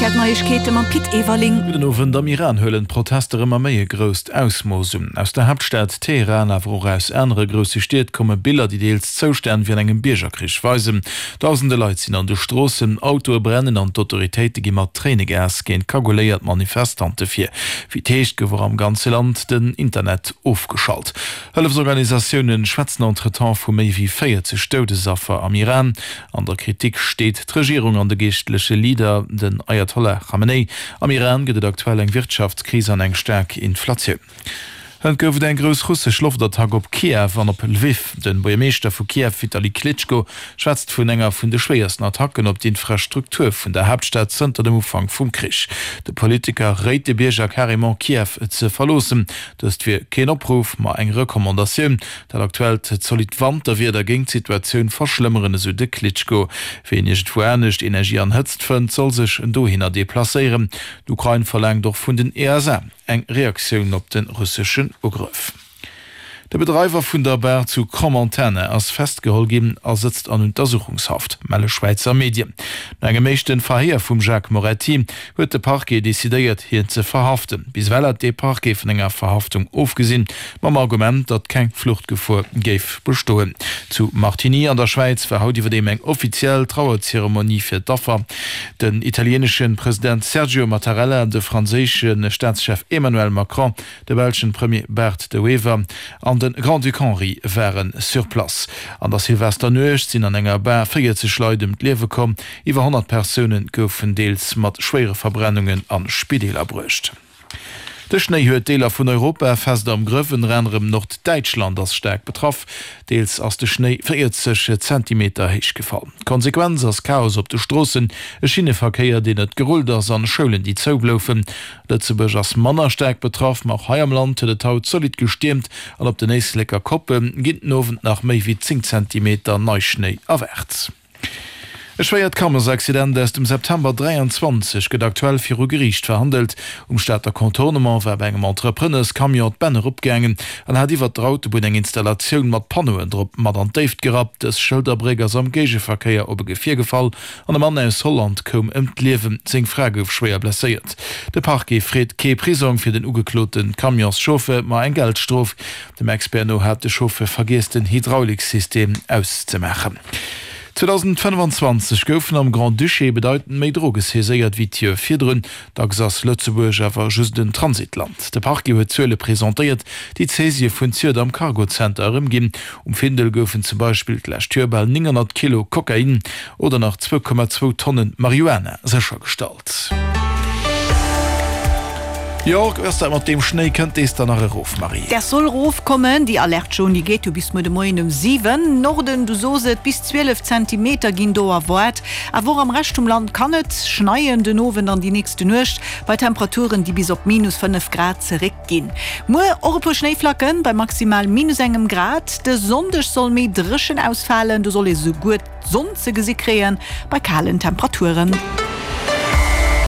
Rtl Neiegkeete mam Pit Everling. Gudden Owend. Am Iran huelen d'Protester ëmmer méi e grousst Ausmooss un. Aus der Haaptstad Teheran, awer och aus anere grousse Stied komme Biller, déi deels Zoustänn wéi an engem Biergerkrich weisen. Dausende Leit sinn an de Stroossen, Autoe brennen an d'Autoritéite gi mat Tréinegas géint kaguléiert Manifestante vir. Wéi et heescht, gouf och am ganze Land den Internet ofgeschalt. Hëllefsorganisatioune schwätzen entretemps vu méi wéi 40 Doudesaffer am Iran. An der Kritik steet d'Regierung an de geeschtleche Leader, den Ayatollah Khamenei. Am Iran gëtt et aktuell eng Wirtschaftskris an eng staark Inflatioun. Hënt gouf et eng grouss russesch Loftattack op Kiew an op Lwiw. De Buergermeeschter vu Kiew Vitali Klitschko schwätzt vun enger vun de schwéiersten Attacken op d'Infrastruktur vun der Haaptstad zënter dem Ufank vum Krich. De Politiker réit de Bierger carrément Kiew ze verloossen. Dëst wier keen Opruff, ma eng Recommandatioun. Dat aktuellt zolidd Wanterwieder géing d'Situatioun verschlëmmeren, esou de Klitschko. Ween iergendwou anescht Energie an Hëtzt fënnt, soll sech dohinner deplacéieren. D'Ukrain verlaangt och vun den ESA eng Reaktioun op de russeschen Ugrëff. De Bedreiwer vun der Bar zu Crans-Montana ass festgeholl ginn a sëtzt an Untersuchungshaft, melle Schwäizer Medien. No engem éischte Verhéier vum Jacques Moretti huet de Parquet decidéiert, hien ze verhaften. Bis ewell hat de Parquet vun enger Verhaftung ofgesinn, mam Argument, datt keng Fluchtgefor géif bestoen. Zu Martigny an der Schwäiz war haut iwwerdeem eng offiziell Trauerzeremonie fir d'Affer. Den italieenesche President Sergio Mattarella, de franséische Staatschef Emmanuel Macron, De belschen Premier Bart De Wever an de Grand-Duc Henri ware sur place. An der Silvesternuecht sinn an enger Bar 40 Leit ëm d'Liewe komm. Iwwer 100 Persoune goufen deels mat schwéiere Verbrennungen a Spideeler bruecht. De Schnéi huet Deeler vun Europa fest am Grëff. Ënner anerem Norddäitschland ass staark betraff. Deels ass de Schnéi 40 Zentimeter héich gefall. D'Konsequenz ass Chaos op de Stroossen, e Schinneverkéier, deen net gerullt ass an Schoulen, déi zou bloufen. Lëtzebuerg ass manner staark betraff, ma och hei am Land huet et haut zolidd gestiermt an op den Éisleker Koppe ginn den Owend nach méi wéi 10 Zentimeter Neischnéi erwaart. E schwéiert Camionsaccident aus dem September 23 gëtt aktuell viru Geriicht verhandelt. Um Stater Contournement war bei engem Entrepreneurscamion d'Bänn eropgaangen an hat iwwert der Autobunn eng Installatioun mat Panneauen drop mat an d'Déift gerappt. Dës Schëlderbréck ass am Géigeverkéier op e Gefier gefall An e Mann aus Holland koum ëm d'Liewen, seng Fra gouf schwéier blesséiert. De Parquet freet kee Prisong fir den ugeklote Camionschauffeur, ma eng Geldstrof. Dem Expert no hat de Chauffeur vergiess den Hydrauliksystem auszemaachen. 2025 goufen am Grand-Duché bedeitend méi Droge saiséiert wéi d'Joer virdrun. Dacks ass Lëtzebuerg awer just en Transitland. De Parquet huet Zuele presentéiert, déi d'Saisië vun Ziert am Cargozenter erëmginn. Um Findel goufen zum Beispill d'lescht Joer bal 900 Kilo Kokain oder nach 2,2 Tonne Marihuana séchergestallt. Jo, wéi ass dat mat deem Schnéi? Kënnt dees dann nach erof, Marie? Däers soll rofkommen. Déi Alerte jaune, déi geet jo bis muer de Moien um 7. Norden, du sos et, bis 12 Zentimeter ginn do erwaart. Awer och am Rescht vum Land kann et schneien den Owend an déi nächste Nuecht, bei Temperaturen, déi bis op minus 5 Grad zeréck ginn. Muer och e puer Schnéiflacken bei maximal minus engem Grad. De Sonndeg soll méi dréchen ausfalen, do soll ee souguer d'Sonn ze gesi kréien bei kalen Temperaturen.